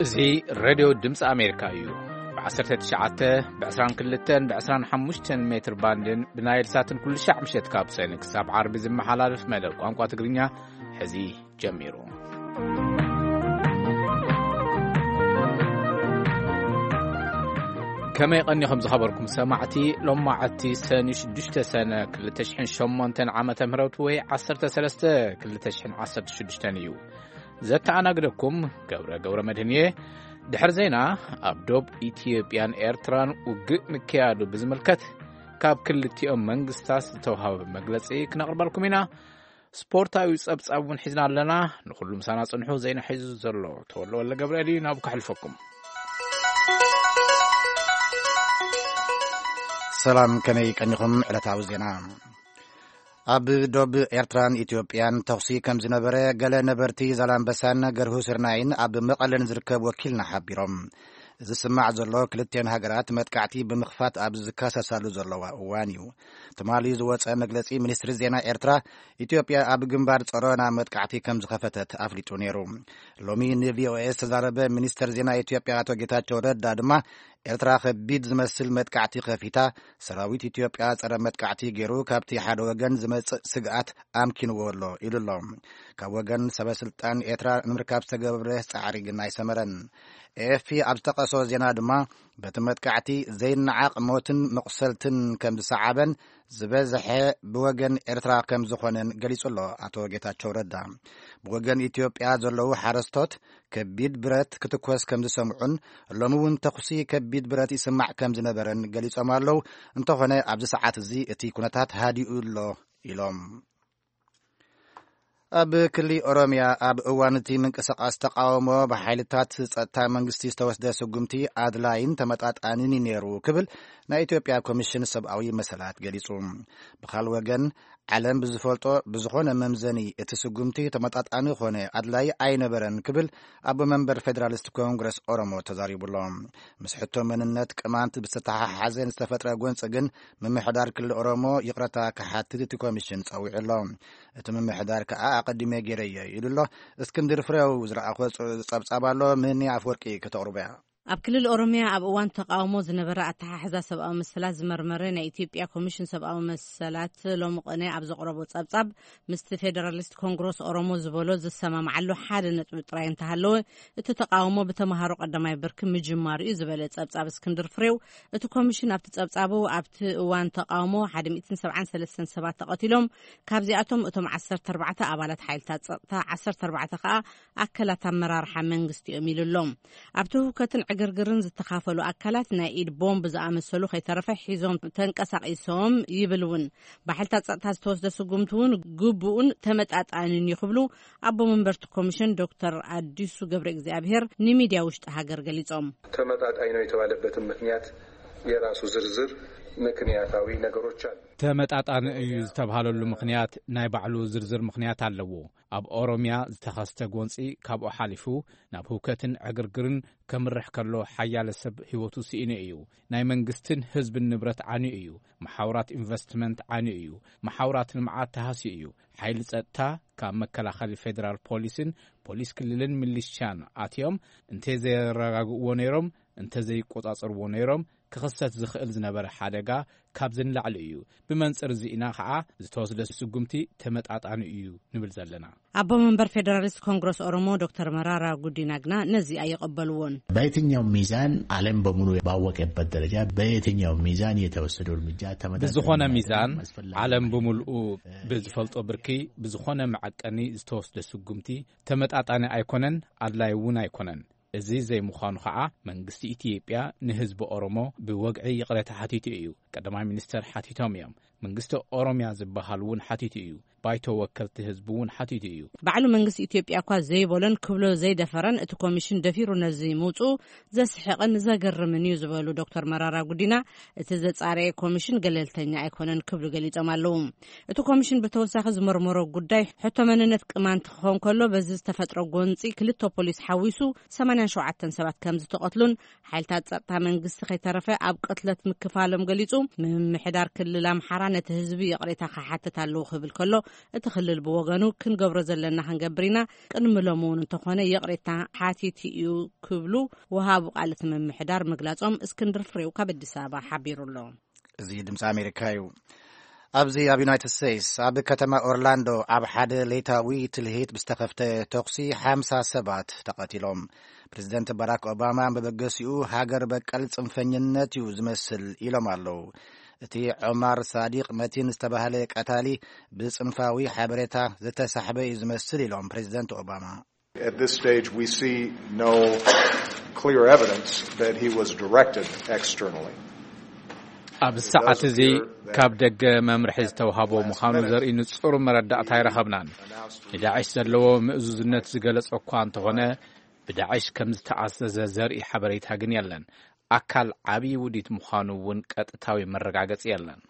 እዚ ሬድዮ ድምፂ ኣሜሪካ እዩ። ብ19፣ ብ22፣ ብ25 ሜትር ባንድን ብናይል ሳትን ኩሉ ሻዕ ምሸት ካብ ሰኒ ክሳብ ዓርቢ ዝመሓላለፍ መደብ ቋንቋ ትግርኛ ሕዚ ጀሚሩ። ከመይ ቀኒኹም ዝኸበርኩም ሰማዕቲ? ሎማዓቲ ሰኒ ሽዱሽተ ሰነ ክልተ ሽሕን ሸሞንተን ዓመተ ምህረት ወይ ዓሰርተ ሰለስተ ክልተ ሽሕን ዓሰርተ ሽዱሽተን እዩ። ዘተኣናግደኩም ገብረ ገብረ መድህን እየ። ድሕሪ ዜና፣ ኣብ ዶብ ኢትዮጵያን ኤርትራን ውግእ ምክያዱ ብዝምልከት ካብ ክልቲኦም መንግስታት ዝተውሃበ መግለጺ ክነቕርበልኩም ኢና። ስፖርታዊ ጸብጻብ እውን ሒዝና ኣለና። ንኹሉ ምሳና ጽንሑ። ዜና ሒዙ ዘሎ ተወልደ ወልደ ገብርኤል እዩ። ናብ ከሕልፈኩም። ሰላም፣ ከመይ ቀኒኹም? ዕለታዊ ዜና። ኣብ ዶብ ኤርትራን ኢትዮጵያን ተኹሲ ከም ዝነበረ ገለ ነበርቲ ዛላምበሳን ገርሁ ስርናይን ኣብ መቐለን ዝርከብ ወኪልና ሓቢሮም። እዚ ዝስማዕ ዘሎ ክልቲኦን ሃገራት መጥቃዕቲ ብምኽፋት ኣብ ዝካሰሳሉ ዘለዋ እዋን እዩ። ትማሊ ዝወጸ መግለጺ ሚኒስትሪ ዜና ኤርትራ፣ ኢትዮጵያ ኣብ ግንባር ጸሮና መጥቃዕቲ ከም ዝኸፈተት ኣፍሊጡ ነይሩ። ሎሚ ንቪኦኤ ዝተዛረበ ሚኒስተር ዜና ኢትዮጵያ ኣቶ ጌታቸው ረዳ ድማ፣ ኤርትራ ከቢድ ዝመስል መጥቃዕቲ ከፊታ፣ ሰራዊት ኢትዮጵያ ጸረ መጥቃዕቲ ገይሩ ካብቲ ሓደ ወገን ዝመጽእ ስግኣት ኣምኪንዎ ኣሎ ኢሉ ኣሎ። ካብ ወገን ሰበ ስልጣን ኤርትራ ንምርካብ ዝተገብረ ጻዕሪ ግን ኣይሰመረን። ኤኤፍፒ ኣብ ዝጠቀሶ ዜና ድማ፣ በቲ መጥቃዕቲ ዘይነዓቕ ሞትን መቑሰልትን ከም ዝሰዓበን፣ ዝበዝሐ ብወገን ኤርትራ ከም ዝኾነን ገሊጹ ኣሎ ኣቶ ጌታቸው ረዳ። ብወገን ኢትዮጵያ ዘለዉ ሓረስቶት ከቢድ ብረት ክትኮስ ከም ዝሰምዑን፣ ሎሚ እውን ተኹሲ ከቢድ ብረት ይስማዕ ከም ዝነበረን ገሊጾም ኣለዉ። እንተኾነ ኣብዚ ሰዓት እዚ እቲ ኩነታት ሃዲኡ ኣሎ ኢሎም። ኣብ ክሊ ኦሮምያ ኣብ እዋን እቲ ምንቅስቃስ ተቃውሞ ብሓይልታት ጸጥታ መንግስቲ ዝተወስደ ስጉምቲ ኣድላይን ተመጣጣንን እዩ ነይሩ ክብል ናይ ኢትዮጵያ ኮሚሽን ሰብኣዊ መሰላት ገሊጹ። ብኻል ወገን፣ ዓለም ብዝፈልጦ ብዝኾነ መምዘኒ እቲ ስጉምቲ ተመጣጣኒ ኾነ ኣድላይ ኣይነበረን ክብል ኣቦ መንበር ፌደራሊስት ኮንግረስ ኦሮሞ ተዛሪቡ ኣሎ። ምስ ሕቶ መንነት ቅማንት ብዝተተሓሓዘ ዝተፈጥረ ጎንፂ ግን ምምሕዳር ክልል ኦሮሞ ይቕረታ ክሓትት እቲ ኮሚሽን ጸዊዑ ኣሎ። እቲ ምምሕዳር ከኣ ኣቐዲመ ገይረዮ ኢሉ ኣሎ። እስክንድር ፍሬው ዝረኣኾ ጸ-፣ ጸብጻብ ኣሎ። ምህኒ ኣፍወርቂ ከተቕርቦ እያ። ኣብ ክልል ኦሮምያ ኣብ እዋን ተቃውሞ ዝነበረ ኣተሓሕዛ ሰብኣዊ መሰላት ዝመርመረ ናይ ኢትዮጵያ ኮሚሽን ሰብኣዊ መሰላት ሎሚ ቅነ ኣብ ዘቕረቦ ጸብጻብ፣ ምስቲ ፌደራሊስት ኮንግረስ ኦሮሞ ዝበሎ ዝሰማምዓሉ ሓደ ነጥቢ ጥራይ እንተሃለወ፣ እቲ ተቃውሞ ብተምሃሮ ቀዳማይ ብርኪ ምጅማሩ እዩ ዝበለ ጸብጻብ እስክንድር ፍሬው፣ እቲ ኮሚሽን ኣብቲ ጸብጻቡ፣ ኣብቲ እዋን ተቃውሞ ሓደ ሚእትን ሰብዓን ሰለስተን ሰባት ተቐቲሎም፣ ካብዚኣቶም እቶም ዓሰርተ ኣርባዕተ ኣባላት ሓይልታት ጸጥታ፣ ዓሰርተ ኣርባዕተ ከኣ ኣካላት ኣመራርሓ መንግስቲ እዮም ኢሉ ኣሎ። ኣብቲ ህውከትን ዕግርግርን ዝተኻፈሉ ኣካላት ናይ ኢድ ቦምብ ዝኣመሰሉ ከይተረፈ ሒዞም ተንቀሳቒሶም ይብል እውን። ብሓይልታት ጸጥታ ዝተወስደ ስጉምቲ እውን ግቡእን ተመጣጣንን እዩ ክብሉ ኣቦ መንበርቲ ኮሚሽን ዶክተር ኣዲሱ ገብረ እግዚኣብሔር ንሚድያ ውሽጢ ሃገር ገሊጾም። ተመጣጣኝ ነው የተባለበትም ምክንያት የራሱ ዝርዝር ምክንያታዊ ነገሮች አሉ። ተመጣጣኒ እዩ ዝተብሃለሉ ምኽንያት ናይ ባዕሉ ዝርዝር ምኽንያት ኣለዎ። ኣብ ኦሮምያ ዝተኸስተ ጎንፂ ካብኡ ሓሊፉ ናብ ህውከትን ዕግርግርን ከምርሕ ከሎ ሓያለ ሰብ ህይወቱ ስኢኑ እዩ። ናይ መንግስትን ህዝብን ንብረት ዓንዩ እዩ። መሓውራት ኢንቨስትመንት ዓንዩ እዩ። መሓውራት ልምዓት ተሃስዩ እዩ። ሓይሊ ጸጥታ ካብ መከላኸሊ ፌደራል ፖሊስን ፖሊስ ክልልን ሚሊሻን ኣትዮም እንተዘየረጋግእዎ ነይሮም፣ እንተዘይቆጻጸርዎ ነይሮም፣ ክኽሰት ዝኽእል ዝነበረ ሓደጋ ካብዚ ንላዕሊ እዩ። ብመንጽር እዚ ኢና ኸዓ ዝተወስደ ስጉምቲ ተመጣጣኒ እዩ ንብል ዘለና። ኣቦ መንበር ፌደራሊስት ኮንግረስ ኦሮሞ ዶክተር መራራ ጉዲና ግና ነዚ ኣይቐበልዎን። በየትኛው ሚዛን ዓለም በሙሉ ባወቀበት ደረጃ በየትኛው ሚዛን የተወሰደው እርምጃ ተመጣጣኝ ብዝኾነ ሚዛን፣ ዓለም ብምልኡ ብዝፈልጦ ብርኪ፣ ብዝኾነ መዐቀኒ ዝተወስደ ስጉምቲ ተመጣጣኒ ኣይኮነን፣ ኣድላይ እውን ኣይኮነን። እዚ ዘይምዃኑ ኸዓ መንግስቲ ኢትዮጵያ ንህዝቢ ኦሮሞ ብወግዒ ይቕሬታ ሓቲቱ እዩ። ቀዳማይ ሚኒስተር ሓቲቶም እዮም። መንግስቲ ኦሮምያ ዝበሃል እውን ሓቲቱ እዩ። ባይቶ ወከልቲ ህዝቢ እውን ሓቲቱ እዩ። ባዕሉ መንግስቲ ኢትዮጵያ እኳ ዘይበሎን ክብሎ ዘይደፈረን፣ እቲ ኮሚሽን ደፊሩ ነዚ ምውፅኡ ዘስሕቕን ዘገርምን እዩ ዝበሉ ዶክተር መራራ ጉዲና፣ እቲ ዘጻረየ ኮሚሽን ገለልተኛ ኣይኮነን ክብሉ ገሊጾም ኣለዉ። እቲ ኮሚሽን ብተወሳኺ ዝመርመሮ ጉዳይ ሕቶ መንነት ቅማንት ክኸውን ከሎ፣ በዚ ዝተፈጥረ ጎንፂ ክልተ ፖሊስ ሓዊሱ ሰማንያን ሸውዓተን ሰባት ከም ዝተቐትሉን፣ ሓይልታት ጸጥታ መንግስቲ ከይተረፈ ኣብ ቅትለት ምክፋሎም ገሊጹ። ምምሕዳር ክልል ኣምሓራ ነቲ ህዝቢ ይቕሬታ ክሓትት ኣለዎ ክብል ከሎ፣ እቲ ክልል ብወገኑ ክንገብሮ ዘለና ክንገብር ኢና፣ ቅድሚ ሎሚ እውን እንተኾነ ይቕሬታ ሓቲቱ እዩ ክብሉ ወሃቡ ቃል እቲ ምምሕዳር ምግላጾም እስክንድር ፍሬው ካብ ኣዲስ ኣበባ ሓቢሩ ኣሎ። እዚ ድምፂ ኣሜሪካ እዩ። ኣብዚ ኣብ ዩናይትድ ስቴትስ ኣብ ከተማ ኦርላንዶ ኣብ ሓደ ሌታዊ ትልሂት ብዝተኸፍተ ተኹሲ ሓምሳ ሰባት ተቐቲሎም። ፕሬዚደንት ባራክ ኦባማ መበገሲኡ ሃገር በቀል ጽንፈኝነት እዩ ዝመስል ኢሎም ኣለዉ። እቲ ዖማር ሳዲቅ መቲን ዝተባህለ ቀታሊ ብጽንፋዊ ሓበሬታ ዝተሳሕበ እዩ ዝመስል ኢሎም ፕሬዚደንት ኦባማ። At this stage, we see no clear evidence that he was directed externally. ኣብዚ ሰዓት እዚ ካብ ደገ መምርሒ ዝተውሃቦ ምዃኑ ዘርኢ ንጹር መረዳእታ ኣይረኸብናን። ንዳዕሽ ዘለዎ ምእዙዝነት ዝገለጸ እኳ እንተኾነ፣ ብዳዕሽ ከም ዝተኣዘዘ ዘርኢ ሓበሬታ ግን የለን። ኣካል ዓብዪ ውዲት ምዃኑ እውን ቀጥታዊ መረጋገጺ የለን።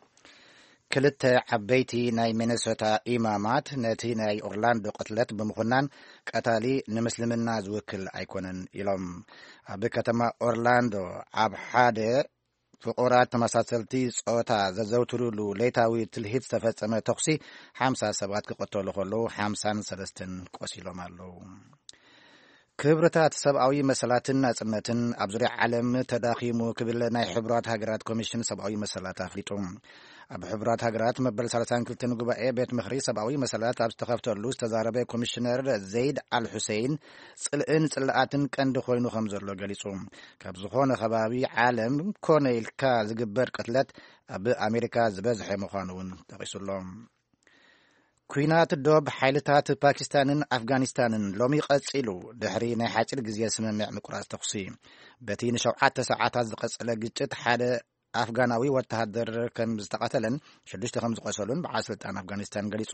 ክልተ ዓበይቲ ናይ ሚነሶታ ኢማማት ነቲ ናይ ኦርላንዶ ቅትለት ብምኹናን፣ ቀታሊ ንምስልምና ዝውክል ኣይኮነን ኢሎም። ኣብ ከተማ ኦርላንዶ ኣብ ሓደ ፍቑራት ተመሳሰልቲ ጾታ ዘዘውትሩሉ ሌታዊ ትልሂት ዝተፈጸመ ተኹሲ ሓምሳ ሰባት ክቐተሉ ከለዉ፣ ሓምሳን ሰለስተን ቆሲሎም ኣለዉ። ክብርታት ሰብኣዊ መሰላትን ናጽነትን ኣብ ዙርያ ዓለም ተዳኺሙ ክብል ናይ ሕቡራት ሃገራት ኮሚሽን ሰብኣዊ መሰላት ኣፍሊጡ። ኣብ ሕቡራት ሃገራት መበል ሰላሳን ክልተን ጉባኤ ቤት ምኽሪ ሰብኣዊ መሰላት ኣብ ዝተኸፍተሉ ዝተዛረበ ኮሚሽነር ዘይድ ኣል ሑሴይን፣ ጽልእን ጽልኣትን ቀንዲ ኮይኑ ከም ዘሎ ገሊጹ። ካብ ዝኾነ ከባቢ ዓለም ኮነ ኢልካ ዝግበር ቅትለት ኣብ ኣሜሪካ ዝበዝሐ ምዃኑ እውን ጠቒሱሎ። ኲናት ዶብ ሓይልታት ፓኪስታንን ኣፍጋኒስታንን ሎሚ ቀጺሉ፣ ድሕሪ ናይ ሓጺር ግዜ ስምምዕ ምቁራጽ ተኹሲ። በቲ ንሸውዓተ ሰዓታት ዝቐጸለ ግጭት፣ ሓደ ኣፍጋናዊ ወተሃደር ከም ዝተቐተለን ሽዱሽተ ከም ዝቆሰሉን በዓል ስልጣን ኣፍጋኒስታን ገሊጹ።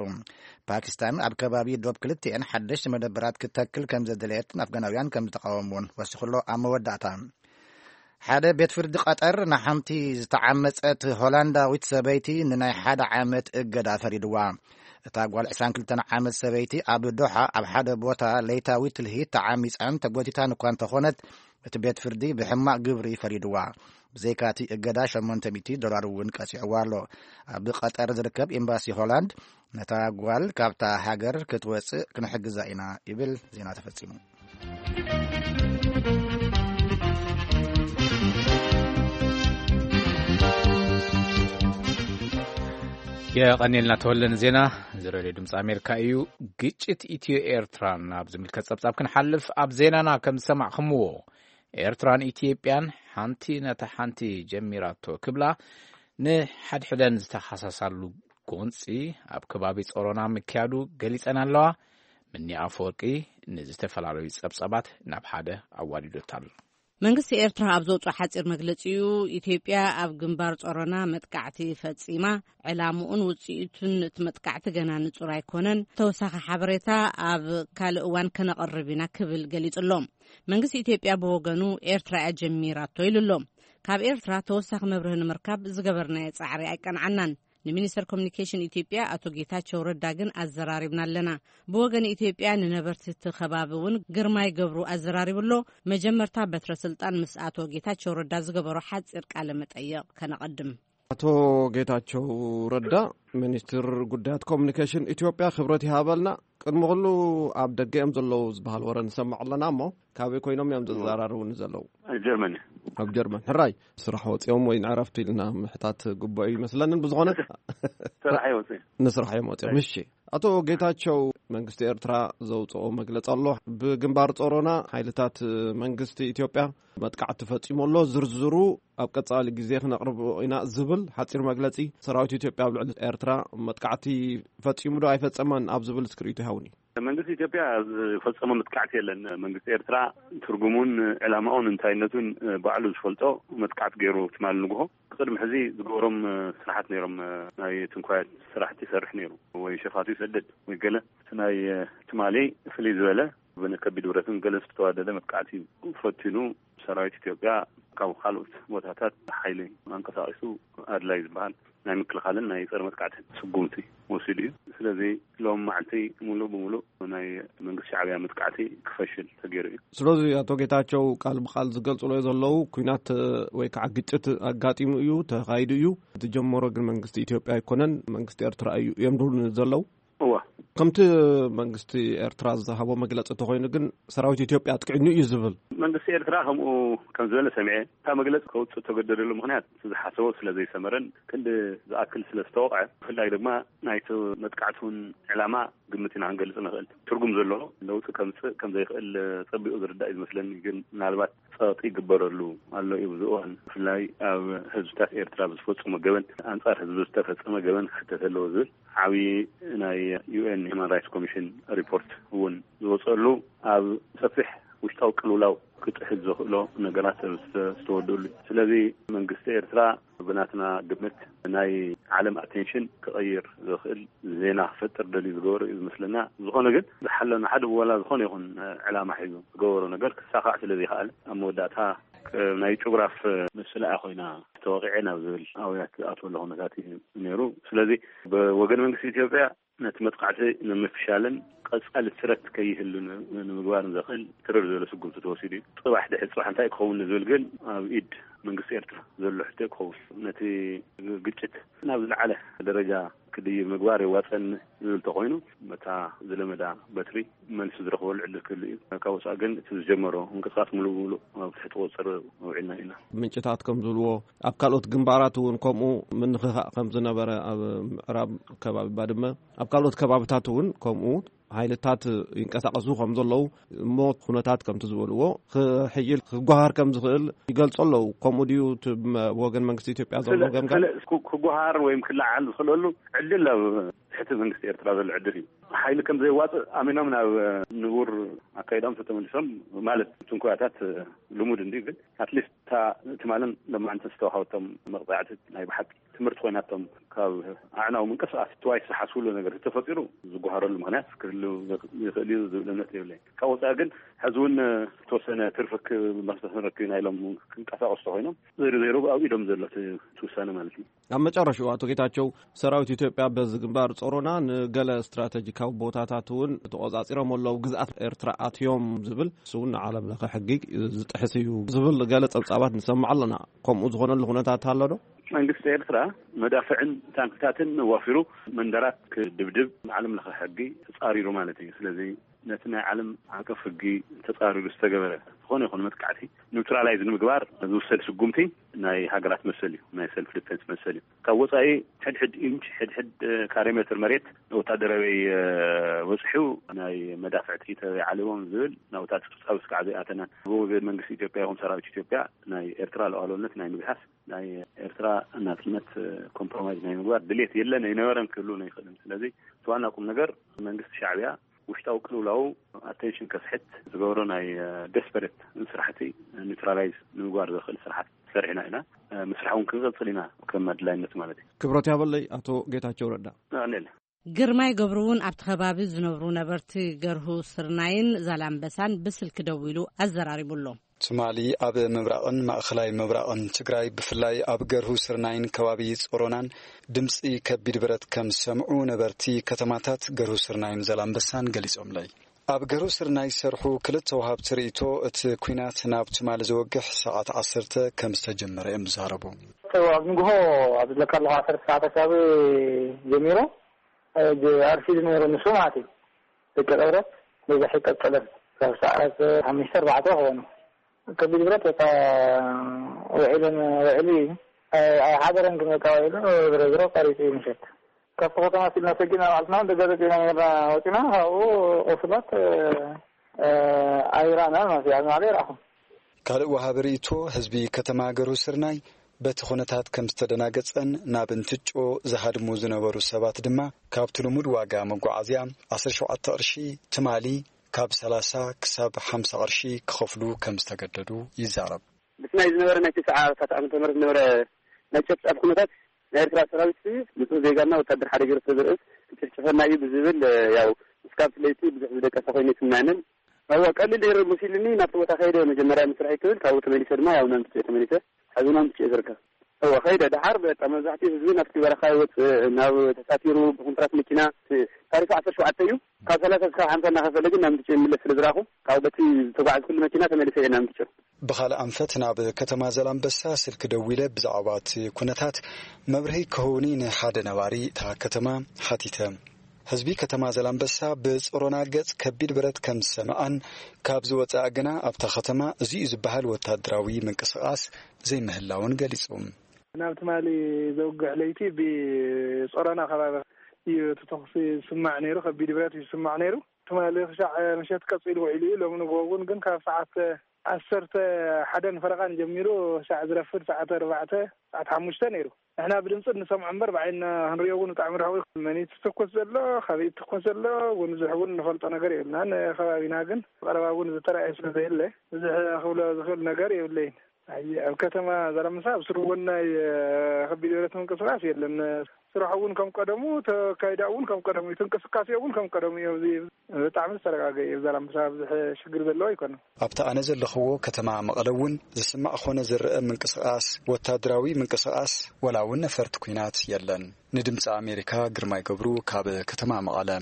ፓኪስታን ኣብ ከባቢ ዶብ ክልቲኤን ሓደሽቲ መደበራት ክትተክል ከም ዘደለየትን ኣፍጋናውያን ከም ዝተቃወምዎን ወሲኹ ኣሎ። ኣብ መወዳእታ፣ ሓደ ቤት ፍርዲ ቀጠር ንሓንቲ ዝተዓመጸት ሆላንዳዊት ሰበይቲ ንናይ ሓደ ዓመት እገዳ ፈሪድዋ። እታ ጓል ዕስራን ክልተን ዓመት ሰበይቲ ኣብ ዶሓ ኣብ ሓደ ቦታ ለይታዊ ትልሂት ተዓሚጻን ተጎቲታን እኳ እንተኾነት፣ እቲ ቤት ፍርዲ ብሕማቕ ግብሪ ፈሪድዋ። ብዘይካቲ እገዳ ሸሞንተ ሚእቲ ዶላር እውን ቀጺዕዋ ኣሎ። ኣብ ቀጠር ዝርከብ ኤምባሲ ሆላንድ፣ ነታ ጓል ካብታ ሃገር ክትወጽእ ክንሕግዛ ኢና ይብል። ዜና ተፈጺሙ። የቐኔልና ተወለ ንዜና። እዚ ሬድዮ ድምፂ ኣሜሪካ እዩ። ግጭት ኢትዮ ኤርትራን ኣብ ዝምልከት ጸብጻብ ክንሓልፍ፣ ኣብ ዜናና ከም ዝሰማዕኹምዎ፣ ኤርትራን ኢትዮጵያን ሓንቲ ነታ ሓንቲ ጀሚራቶ ክብላ ንሓድሕደን ዝተሓሳሳሉ ጎንፂ ኣብ ከባቢ ጾሮና ምክያዱ ገሊጸን ኣለዋ። ምኒ ኣፈወርቂ ንዝተፈላለዩ ጸብጻባት ናብ ሓደ ኣዋዲዶታል። መንግስቲ ኤርትራ ኣብ ዘውፅኦ ሓፂር መግለፂኡ፣ ኢትዮጵያ ኣብ ግንባር ጾሮና መጥቃዕቲ ፈጺማ፣ ዕላምኡን ውፅኢቱን እቲ መጥቃዕቲ ገና ንጹር ኣይኮነን። ተወሳኺ ሓበሬታ ኣብ ካልእ እዋን ከነቕርብ ኢና ክብል ገሊጹ ኣሎ። መንግስቲ ኢትዮጵያ ብወገኑ፣ ኤርትራ እያ ጀሚራቶ ኢሉ ኣሎ። ካብ ኤርትራ ተወሳኺ መብርሂ ንምርካብ ዝገበርናዮ ጻዕሪ ኣይቀንዓናን። ንሚኒስተር ኮሚኒኬሽን ኢትዮጵያ ኣቶ ጌታቸው ረዳ ግን ኣዘራሪብና ኣለና። ብወገን ኢትዮጵያ ንነበርቲ እቲ ከባቢ እውን ግርማይ ገብሩ ኣዘራሪቡ ኣሎ። መጀመርታ በትረ ስልጣን ምስ ኣቶ ጌታቸው ረዳ ዝገበሮ ሓጺር ቃለ መጠይቕ ከነቐድም። ኣቶ ጌታቸው ረዳ፣ ሚኒስትር ጉዳያት ኮሚኒኬሽን ኢትዮጵያ፣ ክብረት ይሃበልና። ቅድሚ ኩሉ፣ ኣብ ደገ እዮም ዘለዉ ዝበሃል ወረ ንሰምዕ ኣለና እሞ፣ ካበይ ኮይኖም እዮም ዘዘራርቡኒ ዘለዉ? ኣብ ጀርመን። ኣብ ጀርመን። ሕራይ፣ ስራሕ ወፂኦም ወይ ንዕረፍቲ ኢልና ምሕታት ግቡእ እዩ ይመስለንን። ብዝኾነ፣ ስራሕ እዮም ወፂኦም። ንስራሕ እዮም ወፂኦም። እሺ። ኣቶ ጌታቸው፣ መንግስቲ ኤርትራ ዘውፅኦ መግለፂ ኣሎ። ብግንባር ጾሮና ሓይልታት መንግስቲ ኢትዮጵያ መጥቃዕቲ ፈፂሙ ኣሎ። ዝርዝሩ ኣብ ቀፃሊ ግዜ ክነቕርቦ ኢና ዝብል ሓፂር መግለፂ። ሰራዊት ኢትዮጵያ ኣብ ልዕሊ ኤርትራ መጥቃዕቲ ፈፂሙ ዶ ኣይፈፀመን ኣብ ዝብል እስክሪቱ ይሃውኒ። መንግስቲ ኢትዮጵያ ዝፈጸመ መጥቃዕቲ የለን። መንግስቲ ኤርትራ ትርጉሙን ዕላማኡን እንታይነቱን ባዕሉ ዝፈልጦ መጥቃዕቲ ገይሩ ትማሊ ንግሆ። ቅድሚ ሕዚ ዝገበሮም ስራሓት ነይሮም። ናይ ትንኳያት ስራሕቲ ይሰርሕ ነይሩ። ወይ ሸፋቱ ይሰድድ ወይ ገለ። እቲ ናይ ትማሊ ፍልይ ዝበለ ብን-፣ ከቢድ ብረትን ገለ ዝተዋደደ መጥቃዕቲ ፈቲኑ ሰራዊት ኢትዮጵያ ካብ ካልኦት ቦታታት ሓይሊ ኣንቀሳቒሱ ኣድላይ ዝበሃል ናይ ምክልኻልን ናይ ጸረ መጥቃዕትን ስጉምቲ ወሲዱ እዩ። ስለዚ ሎም መዓልቲ ሙሉእ ብሙሉእ ናይ መንግስቲ ሻዕብያ መጥቃዕቲ ክፈሽል ተገይሩ እዩ። ስለዚ ኣቶ ጌታቸው ቃል ብቃል ዝገልጽሎ ዘለዉ፣ ኩናት ወይ ከዓ ግጭት ኣጋጢሙ እዩ፣ ተኻይዱ እዩ፣ ዝጀመሮ ግን መንግስቲ ኢትዮጵያ ኣይኮነን፣ መንግስቲ ኤርትራ እዩ እዮም ድብሉ ዘለዉ። እዋ፣ ከምቲ መንግስቲ ኤርትራ ዝሃቦ መግለጺ እንተኾይኑ ግን ሰራዊት ኢትዮጵያ ኣጥቂዕኑ እዩ ዝብል። መንግስቲ ኤርትራ ከምኡ ከም ዝበለ ሰሚዐ። እታ መግለጺ ከውፅእ ተገደደሉ ምክንያት እቲ ዝሓሰቦ ስለ ዘይሰመረን ክንዲ ዝኣክል ስለ ዝተወቕዐ፣ ብፍላይ ድማ ናይቲ መጥቃዕቲ እውን ዕላማ ግምት ኢና ክንገልጽ ንኽእል። ትርጉም ዘለዎ ለውጢ ከምፅእ ከም ዘይኽእል ፀቢቑ ዝርዳእ እዩ ዝመስለኒ። ግን ምናልባት ጸቕጢ ይግበረሉ ኣሎ እዩ። ብዙ እዋን ብፍላይ ኣብ ህዝብታት ኤርትራ ብዝፈጸሞ ገበን፣ ኣንጻር ህዝቢ ዝተፈጸመ ገበን ክሕተት ኣለዎ ዝብል ዓብዪ ናይ ዩ ኤን ሂማን ራይትስ ኮሚሽን ሪፖርት እውን ዝወጸሉ፣ ኣብ ሰፊሕ ውሽጣዊ ቅልውላው ክጥሕል ዘኽእሎ ነገራት ዝተወደሉ። ስለዚ መንግስቲ ኤርትራ ብናትና ግምት ናይ ዓለም ኣቴንሽን ክቐይር ዝኽእል ዜና ክፈጥር ደልዩ ዝገበሮ እዩ ዝመስለና። ዝኾነ ግን ዝሓለና ሓደ ዋላ ዝኾነ ይኹን ዕላማ ሒዙ ዝገበሮ ነገር ክሳኻዕ ስለ ዘይከኣለ ኣብ መወዳእታ ናይ ጭጉራፍ ምስላ ኮይና ተወቂዐ ናብ ዝብል ኣውያት ዝኣትወሉ ኩነታት እዩ ነይሩ። ስለዚ ብወገን መንግስቲ ኢትዮጵያ ነቲ መጥቃዕቲ ንምፍሻልን ቀጻሊ ስረት ከይህሉ ን-፣ ንምግባርን ዘኽእል ትርር ዝበለ ስጉምቲ ተወሲዱ እዩ። ጽባሕ ድሕሪ ጽባሕ እንታይ ክኸውን ንዝብል ግን ኣብ ኢድ መንግስቲ ኤርትራ ዘሎ ሕቶ ክኸውን። ነቲ ግጭት ናብ ዝለዓለ ደረጃ ክድይብ ምግባር የዋጸኒ ዝብል ተኾይኑ፣ በታ ዝለመዳ በትሪ መልሲ ዝረኽበሉ ዕድል ክህሉ እዩ። ካብ ወጻኢ ግን እቲ ዝጀመሮ ምንቅስቃስ ሙሉእ ብሙሉእ ኣብ ትሕቲ ቁጽጽር ኣውዒልና ኢና። ምንጭታት ከም ዝብልዎ፣ ኣብ ካልኦት ግንባራት እውን ከምኡ ምንኽኻእ ከም ዝነበረ፣ ኣብ ምዕራብ ከባቢ ባድመ፣ ኣብ ካልኦት ከባብታት እውን ከምኡ ሓይልታት ይንቀሳቐሱ ከም ዘለዉ እሞ፣ ኩነታት ከምቲ ዝበልዎ ክሕይል ክጓሃር ከም ዝኽእል ይገልጹ ኣለዉ። ከምኡ ድዩ እቲ መ-፣ ወገን መንግስቲ ኢትዮጵያ ዘሎ ስለ-፣ ገምጋም? ስለ-፣ ክጉ-፣ ክጓሃር ወይም ክለዓል ዝኽእለሉ ዕድል ኣብ ትሕቲ መንግስቲ ኤርትራ ዘሎ ዕድል እዩ። ሓይሊ ከም ዘየዋፅእ ኣሚኖም ናብ ንቡር ኣካይዳኦም ተተመሊሶም፣ ማለት ትንኮያታት ልሙድ እንዲ፣ ግን ኣትሊስት እታ ትማልን ለማዕንትን ዝተዋሃበቶም መቕፃዕቲ ናይ ብሓቂ ትምህርቲ ኮይናቶም ካብ ኣዕናዊ ምንቅስቃስ ትዋይ ዝሓስብሉ ነገር ተፈጢሩ ዝጓሃረሉ ምክንያት ክህሉ ይኽእል እዩ ዝብል እምነት የብለይን። ካብ ወፃኢ ግን ሕዚ እውን ዝተወሰነ ትርፊ ክ-፣ መፍትሒ ንረክብ ኢና ኢሎም ክንቀሳቀሱ ተኮይኖም፣ ዘይሩ ዘይሩ ኣብ ኢዶም ዘሎ እቲ ውሳነ ማለት እዩ። ኣብ መጨረሽኡ ኣቶ ጌታቸው፣ ሰራዊት ኢትዮጵያ በዚ ግንባር ጾሮና ንገለ ስትራተጂካዊ ቦታታት እውን ተቆጻጺሮም ኣለዉ፣ ግዝኣት ኤርትራ ኣትዮም ዝብል፣ እሱ እውን ንዓለም ለኸ ሕጊ ዝጥሕስ እዩ ዝብል ገለ ጸብጻባት ንሰምዕ ኣለና። ከምኡ ዝኾነሉ ኩነታት ኣሎ ዶ? መንግስቲ ኤርትራ መዳፍዕን ታንክታትን ዋፊሩ መንደራት ክድብድብ ንዓለም ለኸ ሕጊ ተጻሪሩ ማለት እዩ። ስለዚ ነቲ ናይ ዓለም ዓቀፍ ሕጊ ተጻሪሩ ዝተገበረ ዝኾነ ይኹን መጥቃዕቲ ኒውትራላይዝ ንምግባር ዝውሰድ ስጉምቲ ናይ ሃገራት መሰል እዩ፣ ናይ ሰልፍ ዲፌንስ መሰል እዩ። ካብ ወጻኢ ሕድሕድ ኢንች፣ ሕድሕድ ካሬ ሜትር መሬት ወታደራዊ በጽሑ ናይ መዳፍዕቲ ተበይ ዓሊቦም ዝብል ናብ ወታደር ቁጥጻዊ ስጋዕ ዘይኣተናን ብወገን መንግስቲ ኢትዮጵያ ይኹን ሰራዊት ኢትዮጵያ ናይ ኤርትራ ሉዓላውነት ናይ ምግሃስ፣ ናይ ኤርትራ ናጽነት ኮምፕሮማይዝ ናይ ምግባር ድሌት የለን፣ ኣይነበረን፣ ክህሉ ኣይኽእልን። ስለዚ እቲ ዋና ቁም ነገር መንግስቲ ሻዕብያ ውሽጣዊ ቅልውላው ኣቴንሽን ከስሕት ዝገብሮ ናይ ደስፐሬት ስራሕቲ ኒውትራላይዝ ንምግባር ዘኽእል ስራሕቲ ሰሪሕና ኢና። ምስራሕ እውን ክንቀጽል ኢና ከም ኣድላይነት ማለት እዩ። ክብረት ያበለይ ኣቶ ጌታቸው ረዳ። ኣኔለ ግርማይ ገብሩ እውን ኣብቲ ከባቢ ዝነብሩ ነበርቲ ገርሁ ስርናይን ዛላምበሳን ብስልኪ ደዊሉ ኣዘራሪቡ ኣሎ። ትማሊ ኣብ ምብራቕን ማእኸላይ ምብራቕን ትግራይ፣ ብፍላይ ኣብ ገርሁ ስርናይን ከባቢ ጾሮናን ድምፂ ከቢድ ብረት ከም ዝሰምዑ ነበርቲ ከተማታት ገርሁ ስርናይን ዘላምበሳን ገሊጾምለይ። ኣብ ገርሁ ስርናይ ዝሰርሑ ክልተ ወሃብቲ ርእይቶ፣ እቲ ኲናት ናብ ትማሊ ዘወግሕ ሰዓት ዓሰርተ ከም ዝተጀመረ እዮም ዝዛረቡ። ኣብ ንግሆ ኣብ ዝብለካ ኣለኹ ዓሰርተ ሰዓት ኣካባቢ ጀሚሩ፣ እ፣ ጀ-፣ ኣርፊዱ ነይሩ ንሱ ማለት እዩ። ደቂ ቀብረት በዛሕ ይቀጸለን ካብ ሰዓት ሓሙሽተ ኣርባዕተ ክኾኑ ከቢድ ብረት በቃ ውዒለን ውዒሉ እዩ። ኣይ-፣ ኣይሓደረን ግን በቃ ውዒሉ ዝሮ ዝሮ ቀሪጹ እዩ ምሸት። ካብቲ ከተማ ሲልና ሰጊና ባዕልትና እውን ደገ ደቂና ነርና ወጺና ካብኡ ቁስላት፣ እ፣ ኣይራእናን ማለት እዩ። ኣብ ማዕበ ይረኣኹ። ካልእ ወሃቢ ርእይቶ ህዝቢ ከተማ ገርሁ ስርናይ በቲ ኩነታት ከም ዝተደናገጸን ናብ እንትጮ ዝሃድሙ ዝነበሩ ሰባት ድማ ካብቲ ልሙድ ዋጋ መጓዓዝያ ዓሰርተ ሸውዓተ ቅርሺ ትማሊ ካብ ሰላሳ ክሳብ ሓምሳ ቅርሺ ክኸፍሉ ከም ዝተገደዱ ይዛረብ። ምስ ናይ ዝነበረ ናይ ተስዓታት ዓመተ ምህረት ዝነበረ ናይ ጨፍጫፍ ኩነታት ናይ ኤርትራ ሰራዊት ንጹህ ዜጋና ወታደር ሓደ ገይሩ ስለ ዝርእስ ክጭፍጭፈና እዩ ብዝብል፣ ያው እስካብ ለይቲ ብዙሕ ዝደቀሰ ኮይኑ ኣይስምዐንን። እወ፣ ቀሊል ነይሩ መሲሉኒ። ናብቲ ቦታ ከይደ መጀመርያ ምስራሕ ይክብል፣ ካብኡ ተመሊሰ ድማ ያው ናምትጭ ተመሊሰ። ሕዚ ናምትጭ ዝርከብ። እወ፣ ከይደ። ደሓር በቃ መብዛሕትኡ ህዝቢ ናብቲ በረኻ ይወፅእ፣ ናብ ተሳፊሩ ብኮንትራት መኪና። ታሪፉ ዓሰርተ ሸውዓተ እዩ። ካብ ሰላሳ እስካብ ሓምሳ እናኸፈለ ግን ናብ ምርጫ ይምለስ ስለ ዝረኣኹ፣ ካብ በቲ ዝተጓዓዝኩሉ መኪና ተመሊሰ እየ ናብ ምርጫ። ብኻልእ ኣንፈት ናብ ከተማ ዘላንበሳ ስልኪ ደዊለ ብዛዕባ እቲ ኩነታት መብርሂ ክህቡኒ ንሓደ ነባሪ እታ ከተማ ሓቲተ። ህዝቢ ከተማ ዘላንበሳ ብጽሮና ገጽ ከቢድ ብረት ከም ዝሰምዐን ካብ ዝወጸኣ ግና ኣብታ ከተማ እዚ እዩ ዝበሃል ወታደራዊ ምንቅስቓስ ዘይምህላውን ገሊጹ። ናብ ትማሊ ዘውግሕ ለይቲ ብጾሮና ከባቢ እዩ እቲ ተኹሲ ዝስማዕ ነይሩ፣ ከቢድ ብረት እዩ ዝስማዕ ነይሩ። ትማሊ ክሻዕ ምሸት ቀጺሉ ውዒሉ እዩ። ሎሚ ንግሆ እውን ግን ካብ ሰዓት ዓሰርተ ሓደን ፈረቓን ጀሚሩ ክሻዕ ዝረፍድ ሰዓት ኣርባዕተ፣ ሰዓት ሓሙሽተ ነይሩ። ንሕና ብድምፂ እንሰምዖ እምበር ብዓይንና ክንሪኦ እውን ብጣዕሚ ርሑቕ እዩ። መን እዩ ዝትኩስ ዘሎ፣ ካበይ ይትኮስ ዘሎ እውን ብዙሕ እውን እንፈልጦ ነገር የብልናን። ከባቢና ግን ብቐረባ እውን ዝተረኣየ ስለ ዘየለ ብዙሕ ክብሎ ዝኽእል ነገር የብለይን። ኣይ፣ ኣብ ከተማ ዛላምበሳ ኣብ ስሩ እውን ናይ፣ እ፣ ከቢድ ብረት ምንቅስቃስ የለን። ስራሕ እውን ከም ቀደሙ፣ ተካይዳ እውን ከም ቀደሙ እዩ፣ እንቅስቃሴ እውን ከም ቀደሙ እዩ። ኣብዚ ብጣዕሚ ዝተረጋገ እዩ። ዛላምበሳ ብዙሕ ሽግር ዘለዎ ኣይኮነን። ኣብቲ ኣነ ዘለኽዎ ከተማ መቐለ እውን ዝስማዕ ኾነ ዝረአ ምንቅስቃስ፣ ወታደራዊ ምንቅስቃስ፣ ወላ እውን ነፈርቲ ኲናት የለን። ንድምፂ ኣሜሪካ ግርማይ ገብሩ ካብ ከተማ መቐለ።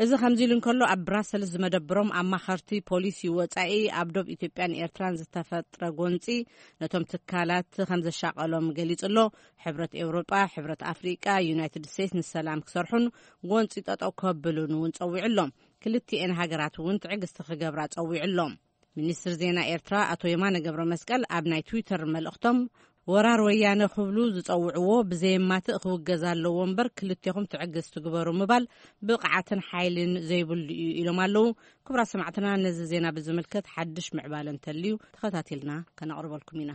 እዚ ከምዚ ኢሉ እንከሎ፣ ኣብ ብራሰልስ ዝመደብሮም ኣማኸርቲ ፖሊሲ ወጻኢ ኣብ ዶብ ኢትዮጵያን ኤርትራን ዝተፈጥረ ጎንጺ ነቶም ትካላት ከም ዘሻቐሎም ገሊጹ ኣሎ። ሕብረት ኤውሮጳ፣ ሕብረት ኣፍሪቃ፣ ዩናይትድ ስቴትስ ንሰላም ክሰርሑን ጎንጺ ጠጠው ከብሉን እውን ጸዊዑ ኣሎ። ክልቲኤን ሃገራት እውን ትዕግስቲ ክገብራ ጸዊዑ ኣሎ። ሚኒስትር ዜና ኤርትራ ኣቶ የማነ ገብረ መስቀል ኣብ ናይ ትዊተር መልእኽቶም፣ ወራር ወያነ ክብሉ ዝጸውዕዎ ብዘየማትእ ክውገዝ ኣለዎ እምበር ክልቴኹም ትዕግስቲ ግበሩ ምባል ብቕዓትን ሓይልን ዘይብሉ እዩ ኢሎም ኣለዉ። ክቡራት ሰማዕትና፣ ነዚ ዜና ብዝምልከት ሓድሽ ምዕባለ እንተልዩ ተኸታቲልና ከነቕርበልኩም ኢና።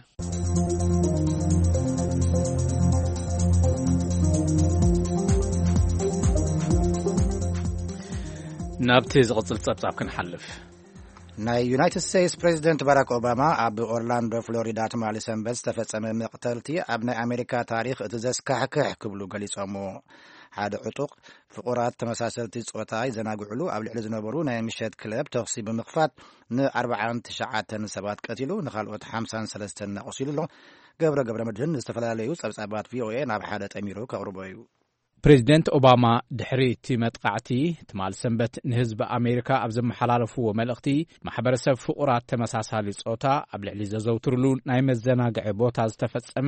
ናብቲ ዝቕጽል ጸብጻብ ክንሓልፍ። ናይ ዩናይትድ ስቴትስ ፕሬዚደንት ባራክ ኦባማ ኣብ ኦርላንዶ ፍሎሪዳ ትማሊ ሰንበት ዝተፈጸመ መቕተልቲ ኣብ ናይ ኣሜሪካ ታሪኽ እቲ ዘስካሕክሕ ክብሉ ገሊጾምዎ። ሓደ ዕጡቕ ፍቑራት ተመሳሰልቲ ጾታ ይዘናግዕሉ ኣብ ልዕሊ ዝነበሩ ናይ ምሸት ክለብ ተኹሲ ብምኽፋት ንኣርባዓን ትሽዓተን ሰባት ቀቲሉ፣ ንኻልኦት ሓምሳን ሰለስተን ኣቑሲሉ ኣሎ። ገብረ ገብረ መድህን ዝተፈላለዩ ጸብጻባት ቪኦኤ ናብ ሓደ ጠሚሩ ከቕርቦ እዩ። ፕሬዚደንት ኦባማ ድሕሪ እቲ መጥቃዕቲ ትማል ሰንበት ንህዝቢ ኣሜሪካ ኣብ ዘመሓላለፍዎ መልእኽቲ፣ ማሕበረሰብ ፍቑራት ተመሳሳሊ ጾታ ኣብ ልዕሊ ዘዘውትርሉ ናይ መዘናግዒ ቦታ ዝተፈጸመ፣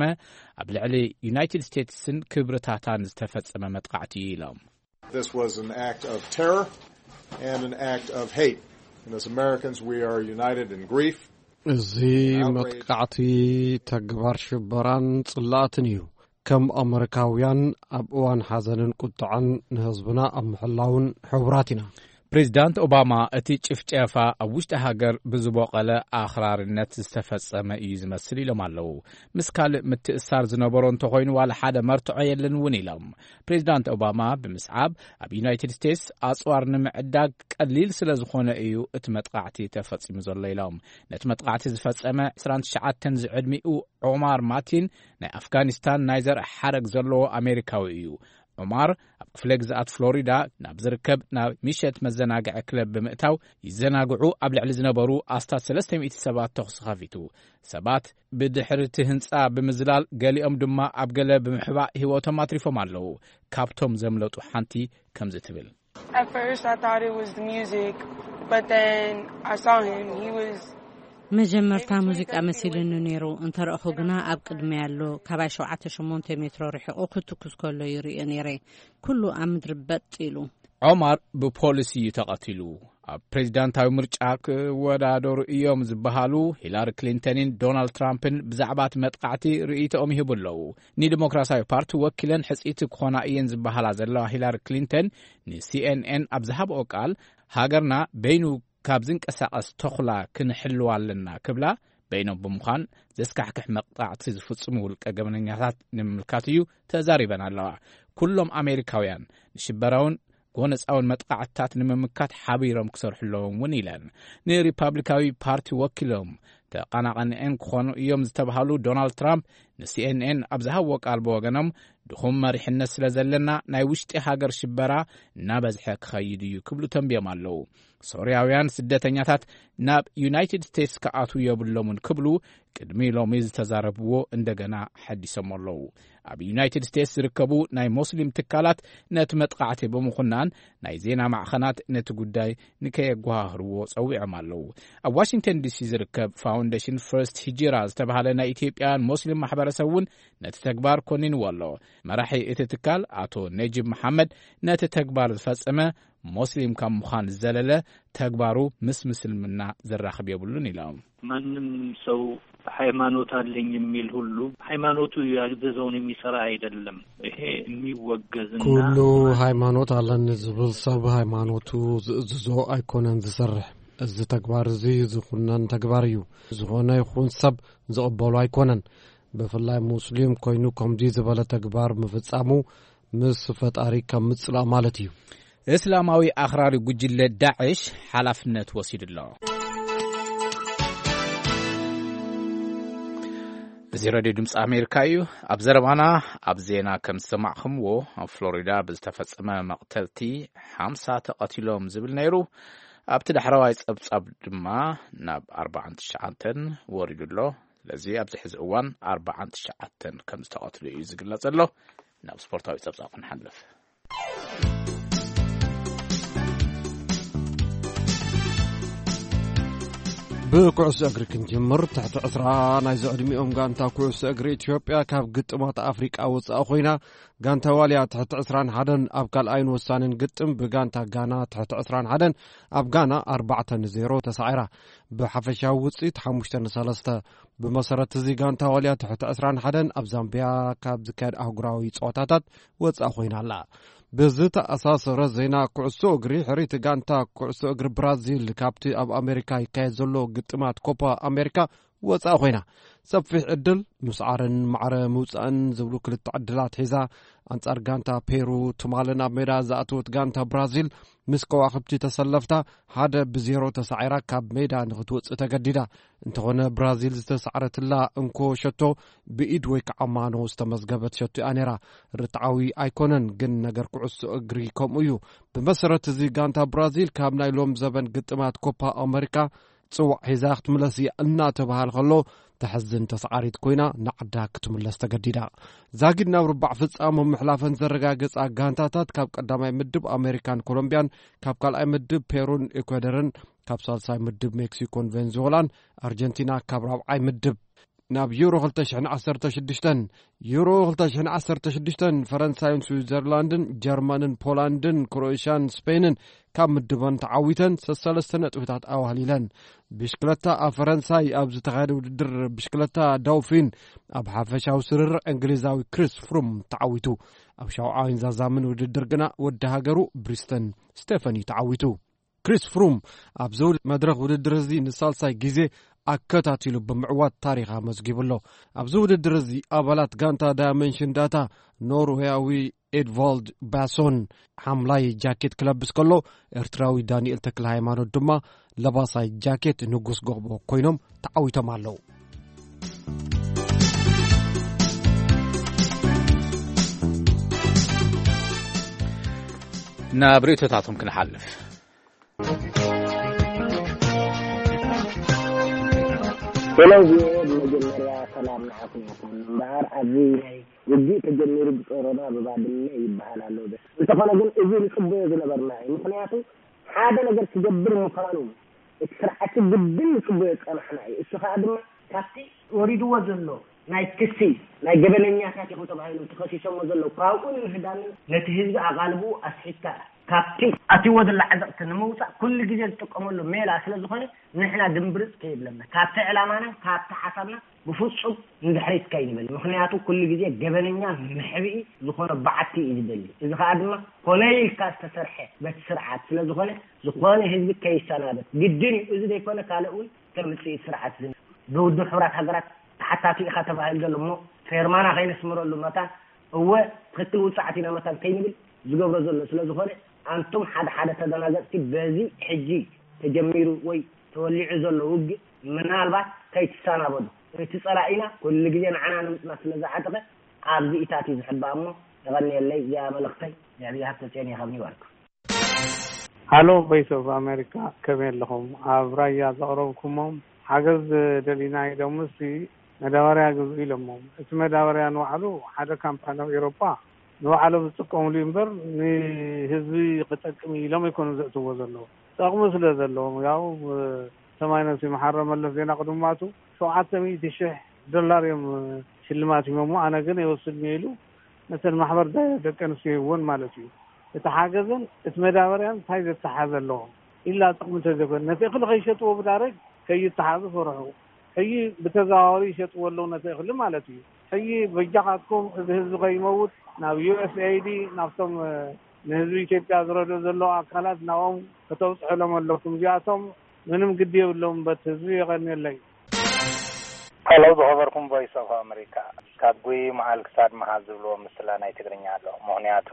ኣብ ልዕሊ ዩናይትድ ስቴትስን ክብርታታን ዝተፈጸመ መጥቃዕቲ እዩ ኢሎም። This was an act of terror and an act of hate. And as Americans, we are united in grief. እዚ መጥቃዕቲ ተግባር ሽበራን ጽላእትን እዩ። ከም ኣመሪካውያን ኣብ እዋን ሓዘንን ቁጥዐን ንህዝብና ኣብ ምሕላውን ሕቡራት ኢና። ፕሬዚዳንት ኦባማ እቲ ጭፍጨፋ ኣብ ውሽጢ ሃገር ብዝቦቐለ ኣኽራርነት ዝተፈጸመ እዩ ዝመስል ኢሎም ኣለዉ። ምስ ካልእ ምትእሳር ዝነበሮ እንተኾይኑ ዋላ ሓደ መርትዖ የለን እውን ኢሎም። ፕሬዚዳንት ኦባማ ብምስዓብ ኣብ ዩናይትድ ስቴትስ ኣጽዋር ንምዕዳግ ቀሊል ስለ ዝኾነ እዩ እቲ መጥቃዕቲ ተፈጺሙ ዘሎ ኢሎም። ነቲ መጥቃዕቲ ዝፈጸመ ዕስራን ትሽዓተን ዝዕድሚኡ ዑማር ማቲን ናይ ኣፍጋኒስታን ናይ ዘርኢ ሓረግ ዘለዎ ኣሜሪካዊ እዩ። ዑማር ኣብ ክፍለ ግዝኣት ፍሎሪዳ ናብ ዝርከብ ናብ ምሸት መዘናግዒ ክለብ ብምእታው ይዘናግዑ ኣብ ልዕሊ ዝነበሩ ኣስታት ሰለስተ ሚእቲ ሰባት ተኹሲ ከፊቱ። ሰባት ብድሕሪ እቲ ህንጻ ብምዝላል ገሊኦም ድማ ኣብ ገለ ብምሕባእ ህይወቶም ኣትሪፎም ኣለዉ። ካብቶም ዘምለጡ ሓንቲ ከምዚ ትብል። At first, I thought it was the music, but then I saw him. He was መጀመርታ ሙዚቃ መሲሉኒ ነይሩ፣ እንተረእኹ ግና ኣብ ቅድሚ ኣሎ ካባይ ሸውዓተ ሽሞንተ ሜትሮ ርሒቑ ክትኩስ ከሎ ይርእዮ ነይረ። ኩሉ ኣብ ምድሪ በጥ ኢሉ። ዖማር ብፖሊስ እዩ ተቐቲሉ። ኣብ ፕሬዚዳንታዊ ምርጫ ክወዳደሩ እዮም ዝበሃሉ ሂላሪ ክሊንተንን ዶናልድ ትራምፕን ብዛዕባ እቲ መጥቃዕቲ ርእይቶኦም ይህቡ ኣለዉ። ንዲሞክራሲያዊ ፓርቲ ወኪለን ሕጽይቲ ክኾና እየን ዝበሃላ ዘለዋ ሂላሪ ክሊንተን ንሲኤንኤን ኣብ ዝሃብኦ ቃል፣ ሃገርና በይኑ ካብ ዝንቀሳቐስ ተኹላ ክንሕልዋ ኣለና ክብላ፣ በይኖም ብምዃን ዘስካሕክሕ መቕጣዕቲ ዝፍጽሙ ውልቀ ገበነኛታት ንምምልካት እዩ ተዛሪበን ኣለዋ። ኩሎም ኣሜሪካውያን ንሽበራውን ጎነጻውን መጥቃዕትታት ንምምካት ሓቢሮም ክሰርሑ ኣለዎም እውን ኢለን። ንሪፓብሊካዊ ፓርቲ ወኪሎም ተቐናቐንኤን ክኾኑ እዮም ዝተባሃሉ ዶናልድ ትራምፕ ንሲኤንኤን ኣብ ዝሃብዎ ቃል ብወገኖም፣ ድኹም መሪሕነት ስለ ዘለና ናይ ውሽጢ ሃገር ሽበራ እናበዝሐ ክኸይድ እዩ ክብሉ ተንብዮም ኣለዉ። ሶርያውያን ስደተኛታት ናብ ዩናይትድ ስቴትስ ክኣትዉ የብሎምን ክብሉ ቅድሚ ሎሚ ዝተዛረብዎ እንደገና ሓዲሶም ኣለዉ። ኣብ ዩናይትድ ስቴትስ ዝርከቡ ናይ ሞስሊም ትካላት ነቲ መጥቃዕቲ ብምኹናን ናይ ዜና ማዕኸናት ነቲ ጉዳይ ንከየጓሃህርዎ ጸዊዖም ኣለዉ። ኣብ ዋሽንግተን ዲሲ ዝርከብ ፋውንዴሽን ፈርስት ሂጅራ ዝተባህለ ናይ ኢትዮጵያውያን ሞስሊም ማሕበረሰብ እውን ነቲ ተግባር ኮኒንዎ ኣሎ። መራሒ እቲ ትካል ኣቶ ነጂብ መሓመድ ነቲ ተግባር ዝፈጸመ ሞስሊም ካብ ምዃን ዝዘለለ ተግባሩ ምስ ምስልምና ዘራኽብ የብሉን ኢሎም። ማንም ሰው ሃይማኖት አለኝ የሚል ሁሉ ሃይማኖቱ ያዘዘውን የሚሰራ አይደለም። ይሄ የሚወገዝና ኩሉ ሃይማኖት ኣለኒ ዝብል ሰብ ሃይማኖቱ ዝእዝዞ ኣይኮነን ዝሰርሕ። እዚ ተግባር እዚ ዝኹነን ተግባር እዩ። ዝኾነ ይኹን ሰብ ዝቕበሉ ኣይኮነን። ብፍላይ ሙስሊም ኮይኑ ከምዚ ዝበለ ተግባር ምፍጻሙ ምስ ፈጣሪ ከም ምጽላእ ማለት እዩ። እስላማዊ ኣኽራሪ ጉጅለ ዳዕሽ ሓላፍነት ወሲዱ ኣሎ። እዚ ሬድዮ ድምፂ ኣሜሪካ እዩ። ኣብ ዘረባና ኣብ ዜና ከም ዝሰማዕኹምዎ ኣብ ፍሎሪዳ ብዝተፈጸመ መቕተልቲ ሓምሳ ተቐቲሎም ዝብል ነይሩ። ኣብቲ ዳሕረዋይ ጸብጻብ ድማ ናብ ኣርባዓን ትሽዓተን ወሪዱ ኣሎ። ስለዚ ኣብዚ ሕዚ እዋን ኣርባዓን ትሽዓተን ከም ዝተቐትሉ እዩ ዝግለጽ ዘሎ። ናብ ስፖርታዊ ጸብጻብ ክንሓልፍ። ብኩዕሶ እግሪ ክንጅምር። ትሕቲ ዕስራ ናይ ዝዕድሚኦም ጋንታ ኩዕሶ እግሪ ኢትዮጵያ ካብ ግጥማት ኣፍሪቃ ወጻኢ ኮይና። ጋንታ ዋልያ ትሕቲ ዕስራን ሓደን ኣብ ካልኣይን ወሳንን ግጥም ብጋንታ ጋና ትሕቲ ዕስራን ሓደን ኣብ ጋና ኣርባዕተ ንዜሮ ተሳዒራ። ብሓፈሻዊ ውጽኢት ሓሙሽተ ንሰለስተ። ብመሰረት እዚ ጋንታ ዋልያ ትሕቲ ዕስራን ሓደን ኣብ ዛምቢያ ካብ ዝካየድ ኣህጉራዊ ጸወታታት ወጻኢ ኮይና ኣላ። ብዝተኣሳሰረ ዜና ኩዕሶ እግሪ፣ ሕርይቲ ጋንታ ኩዕሶ እግሪ ብራዚል ካብቲ ኣብ ኣሜሪካ ይካየድ ዘሎ ግጥማት ኮፓ ኣሜሪካ ወጻኢ ኮይና። ሰፊሕ ዕድል ምስዓርን ማዕረ ምውጻእን ዝብሉ ክልተ ዕድላት ሒዛ ኣንጻር ጋንታ ፔሩ ትማሊ ናብ ሜዳ ዝኣተወት ጋንታ ብራዚል ምስ ከዋኽብቲ ተሰለፍታ ሓደ ብዜሮ ተሳዒራ ካብ ሜዳ ንክትወጽእ ተገዲዳ። እንተኾነ ብራዚል ዝተሳዕረትላ እንኮ ሸቶ ብኢድ ወይ ከዓ ማኖ ዝተመዝገበት ሸቶ እያ ነይራ። ርትዓዊ ኣይኮነን፣ ግን ነገር ኩዕሶ እግሪ ከምኡ እዩ። ብመሰረት እዚ ጋንታ ብራዚል ካብ ናይ ሎም ዘበን ግጥማት ኮፓ ኣመሪካ ጽዋዕ ሒዛ ክትምለስ እያ እናተባህል ከሎ ተሕዝን ተሳዓሪት ኮይና ንዓዳ ክትምለስ ተገዲዳ። ዛጊድ ናብ ርባዕ ፍጻመ ምሕላፈን ዘረጋገጻ ጋንታታት ካብ ቀዳማይ ምድብ ኣሜሪካን ኮሎምቢያን፣ ካብ ካልኣይ ምድብ ፔሩን ኢኳደርን፣ ካብ ሳልሳይ ምድብ ሜክሲኮን ቬንዙዌላን፣ ኣርጀንቲና ካብ ራብዓይ ምድብ ናብ ዩሮ ክልተ ሽሕን ዓሰርተ ሽዱሽተን ዩሮ ክልተ ሽሕን ዓሰርተ ሽዱሽተን ፈረንሳይን ስዊዘርላንድን ጀርመንን ፖላንድን ክሮኤሽያን ስፔንን ካብ ምድበን ተዓዊተን ሰሰለስተ ነጥብታት ኣዋህሊለን። ብሽክለታ ኣብ ፈረንሳይ ኣብ ዝተኻየደ ውድድር ብሽክለታ ዳውፊን ኣብ ሓፈሻዊ ስርርዕ እንግሊዛዊ ክሪስ ፍሩም ተዓዊቱ። ኣብ ሻውዓይን ዛዛምን ውድድር ግና ወዲ ሃገሩ ብሪስተን ስቴፈኒ ተዓዊቱ። ክሪስ ፍሩም ኣብዚ መድረኽ ውድድር እዚ ንሳልሳይ ግዜ ኣከታቲሉ ብምዕዋት ታሪኽ ኣመዝጊቡ ኣሎ። ኣብዚ ውድድር እዚ ኣባላት ጋንታ ዳያመንሽን ዳታ ኖርዌያዊ ኤድቫልድ ባሶን ሓምላይ ጃኬት ክለብስ ከሎ፣ ኤርትራዊ ዳንኤል ተክለ ሃይማኖት ድማ ለባሳይ ጃኬት ንጉስ ጎቦ ኮይኖም ተዓዊቶም ኣለዉ። ናብ ርእይቶታቶም ክንሓልፍ። ሄሎ ቪኦኤ፣ ብመጀመርያ ሰላም ንዓኹም ይኹን። እምበኣር ኣብዚ ናይ ውግእ ተጀሚሩ ብጾሮና ብባድመ ይበሃል ኣሎ። እንተኾነ ግን እዚ ንጽበዮ ዝነበርና እዩ። ምኽንያቱ ሓደ ነገር ክገብር ምዃኑ እቲ ስርዓት ግድን ንጽበዮ ዝጸናሕና እዩ። እሱ ከኣ ድማ ካብቲ ወሪድዎ ዘሎ ናይ ክሲ ናይ ገበነኛታት ኢኹም ተባሂሎም ተኸሲሶሞ ዘለዉ ካብኡ ንምህዳምን ነቲ ህዝቢ ኣቓልብኡ ኣስሒትካ ካብቲ ኣትይዎ ዘሎ ዓዘቕቲ ንምውጻእ ኩሉ ግዜ ዝጥቀመሉ ሜላ ስለ ዝኾነ ንሕና ድምብርጽ ከይብለና ካብቲ ዕላማና ካብቲ ሓሳብና ብፍጹም ንድሕሪት ከይንብል። ምኽንያቱ ኩሉ ግዜ ገበነኛ መሕብኢ ዝኾነ በዓቲ እዩ ዝደሊ። እዚ ከኣ ድማ ኮነ ኢልካ ዝተሰርሐ በቲ ስርዓት ስለ ዝኾነ ዝኾነ ህዝቢ ከይሰናበት ግድን እዩ። እዚ ዘይኮነ ካልእ እውን ከም ውጽኢት ስርዓት ዝን ብውድብ ሕቡራት ሃገራት ተሓታቲ ኢኻ ተባሂሉ ዘሎ እሞ ፌርማና ከይነስምረሉ መታን እወ ትኽክል ውጽዓት ኢና መታን ከይንብል ዝገብሮ ዘሎ ስለ ዝኾነ ኣንቱም ሓደ ሓደ ተደናገጽቲ በዚ ሕጂ ተጀሚሩ ወይ ተወሊዑ ዘሎ ውግእ ምናልባት ከይትሰናበዱ እቲ ጸላኢና ኩሉ ግዜ ንዓና ንምጽና ስለ ዝዓጠቐ ኣብዚኢታት እዩ ዝሕባእ። እሞ የቐንየለይ። እዚኣ መልእኽተይ። ነዕብያ ሃብተፅዮን እየ ካብ ኒውዮርክ። ሃሎ፣ ቮይስ ኦፍ ኣሜሪካ፣ ከመይ ኣለኹም? ኣብ ራያ ዘቕረብኩሞም ሓገዝ ደሊና ኢሎምሲ መዳበርያ ግዝኡ ኢሎሞም። እቲ መዳበርያ ንባዕሉ ሓደ ካምፓኒ ኣብ ኤውሮጳ ንባዕሎም ዝጥቀሙሉ እዩ እምበር፣ ንህዝቢ ክጠቅም እዩ ኢሎም ኣይኮኑን ዘእትዎ ዘለዉ። ጠቕሚ ስለ ዘለዎም፣ ያው ሰማይ ነብሲ መሓረ መለስ ዜና ቅድማቱ ሸውዓተ ሚእቲ ሽሕ ዶላር እዮም ሽልማት ሂቦሞ። ኣነ ግን ኣይወስድን እየ ኢሉ ነተን ማሕበር ደ-፣ ደቂ ኣንስትዮ ይህወን ማለት እዩ። እቲ ሓገዝን እቲ መዳበርያን እንታይ ዘተሓዘ ኣለዎ? ኢላ ጥቕሚ እንተዘይኮነ፣ ነቲ እኽሊ ከይሸጥዎ ብዳረግ ከይተሓዙ ፈርሑ። ሕጂ ብተዘዋዋሪ ይሸጥዎ ኣለዉ ነቲ እኽሊ ማለት እዩ። ሕጂ በጃኻትኩም እዚ ህዝቢ ከይመውት ናብ ዩ ኤስ ኤ ኣይ ዲ፣ ናብቶም፣ እ፣ ንህዝቢ ኢትዮጵያ ዝረድኡ ዘለዉ ኣካላት ናብኦም ከተብጽሑሎም ኣለኩም። እዚኣቶም ምንም ግዲ የብሎም በቲ ህዝቢ። የቐንየለይ። ሄሎ፣ ዝኸበርኩም ቮይስ ኦፍ ኣሜሪካ፣ ካብ ጉይ መዓል ክሳድ መሃል ዝብልዎ ምስላ ናይ ትግርኛ ኣሎ። ምኽንያቱ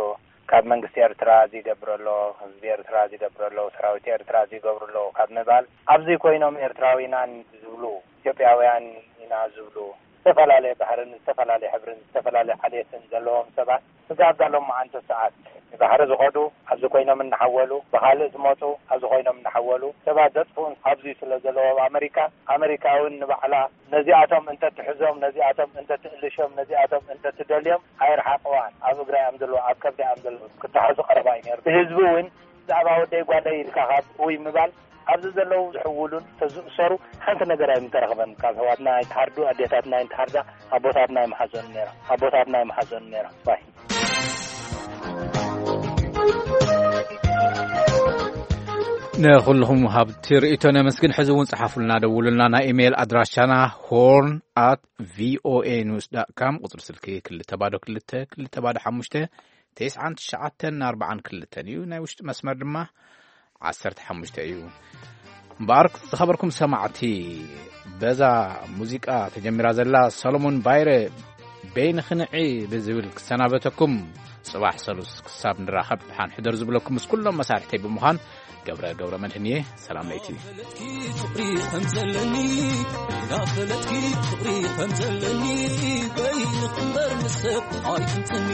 ካብ መንግስቲ ኤርትራ እዚ ይገብር ኣሎ፣ ህዝቢ ኤርትራ እዚ ይገብር ኣሎ፣ ሰራዊት ኤርትራ እዚ ይገብሩ ኣለዉ ካብ ምባል፣ ኣብዚ ኮይኖም ኤርትራዊናን ዝብሉ፣ ኢትዮጵያውያን ኢና ዝብሉ፣ ዝተፈላለየ ባህርን ዝተፈላለየ ሕብርን ዝተፈላለየ ዓሌትን ዘለዎም ሰባት፣ ስጋብ ዳሎም መዓንቶ ሰዓት ንባሕሪ ዝኸዱ፣ ኣብዚ ኮይኖም እናሓወሉ፣ ብኻልእ ዝመፁ፣ ኣብዚ ኮይኖም እናሓወሉ ሰባት ዘጥፍኡን ኣብዚ ስለ ዘለዉ ኣብ ኣመሪካ፣ ኣመሪካ እውን ንባዕላ ነዚኣቶም እንተትሕዞም፣ ነዚኣቶም እንተትእልሾም፣ ነዚኣቶም እንተትደልዮም ኣይርሓቕዋን። ኣብ እግራ እዮም ዘለዉ፣ ኣብ ከብዳ እዮም ዘለዉ። ክተሓዙ ቀረባ እዩ ነይሩ። ብህዝቢ እውን ብዛዕባ ወደይ ጓለይ ኢልካ ካብ እውይ ምባል፣ ኣብዚ ዘለዉ ዝሕውሉን ተዝእሰሩ ሓንቲ ነገር ኣይምተረኽበን። ካብ ኣሕዋትና ኣይተሓርዱ፣ ኣዴታትና ኣይተሓርዳ፣ ኣቦታትና ኣይመሓዘኑ ነይሮም፣ ኣቦታትና ኣይመሓዘኑ ነይሮም። ባይ። ንኹልኹም ሃብቲ ርእይቶ ነመስግን። ሕዚ እውን ጸሓፉልና፣ ደውሉልና። ናይ ኢሜይል ኣድራሻና ሆርን ኣት ቪኦኤ ኒውስ ዳት ካም፣ ቁጽሪ ስልኪ ክልተ ባዶ ክልተ ክልተ ባዶ ሓሙሽተ፣ ተስዓን ትሽዓተን ኣርባዓን ክልተን እዩ። ናይ ውሽጢ መስመር ድማ ዓሰርተ ሓሙሽተ እዩ። እምበኣር ዝኸበርኩም ሰማዕቲ፣ በዛ ሙዚቃ ተጀሚራ ዘላ ሰሎሞን ባይረ በይንኺ ንዒ ብዝብል ክሰናበተኩም፣ ጽባሕ ሰሉስ ክሳብ ንራኸብ ደሓን ሕደሩ ዝብለኩም ምስ ኩሎም መሳርሕተይ ብምዃን ገብረ ገብረ መድህን እየ። ሰላም ለይቲ። ፍቕሪ ከም ዘለኒ፣ እንዳፈለጥኪ ፍቕሪ ከም ዘለኒ፣ በይንኺ እምበር ንሰብ ኣይትንጽኒ።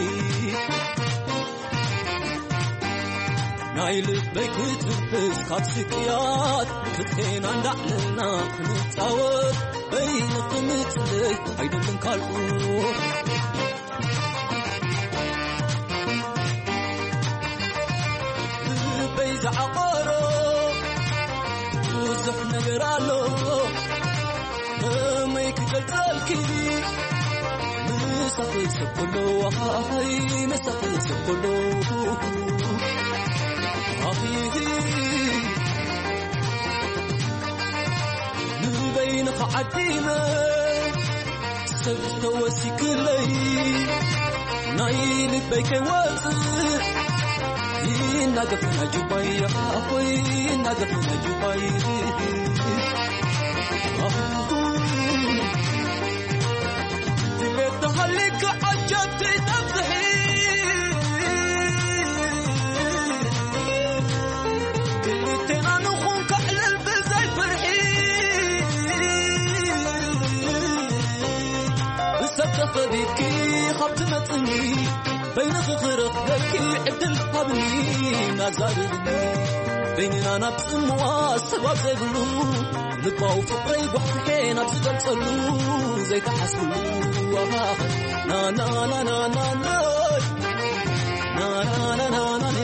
ናይ ልበይ ክትብስ ካብ ስቅያት፣ ክትፌና እንዳዕለልና ክንጻወት፣ በይንኺ ምጽለይ ኣይደልን ካልኡ። ልበይ ዝዓቆሮ ብዙሕ ነገር ኣሎ፣ ከመይ ክገልጸልኪ? ምሳኺ ሰብ ኩሉ፣ ኣይ፣ ምሳኺ ሰብ ኩሉ። ኣይ፣ ንበይንኻ ዓዲመ ሰብ ተወሲክለይ፣ ናይ ልበይ ከይወጽእ ይናገፍ ናይ ጁባይ፣ ኣኾይ ይናገፍ ናይ ጁባይ። ድሌት ተሃሊካ ዓጀብ ትጠፍሒ፣ ክልቴና ንኹን ከዕልል ብዘይ ፍርሒ። ብሰብ ተኸቢብኪ ካብ ትመጽኒ፣ በይንኺ ክረኽበኪ ዕድል ሃብኒ፣ ናዛርብኒ በይንና ናብ ጽምዋ ሰባብ ዘይብሉ፣ ልባዊ ፍቕረይ ጓሕጉሐ ናብ ዝገልጸሉ ዘይተሓስብሉ። ናናናናናና፣ ናናናናናኔ፣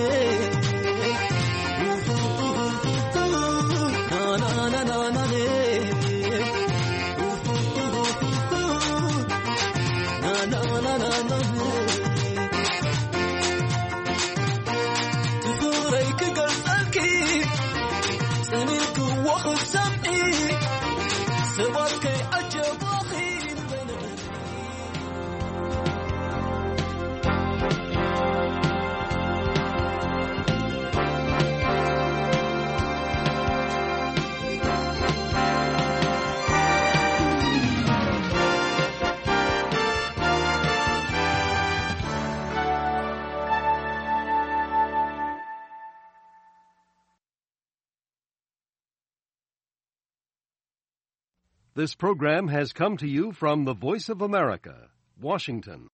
ናናናናናኔ። ትፍቕረይ ክገልጸልኪ ጸኒሕክዎ ክትሰምዒ፣ ሰባት ከይዓጀባኺ ንበይንኺ። This program has come to you from the Voice of America, Washington.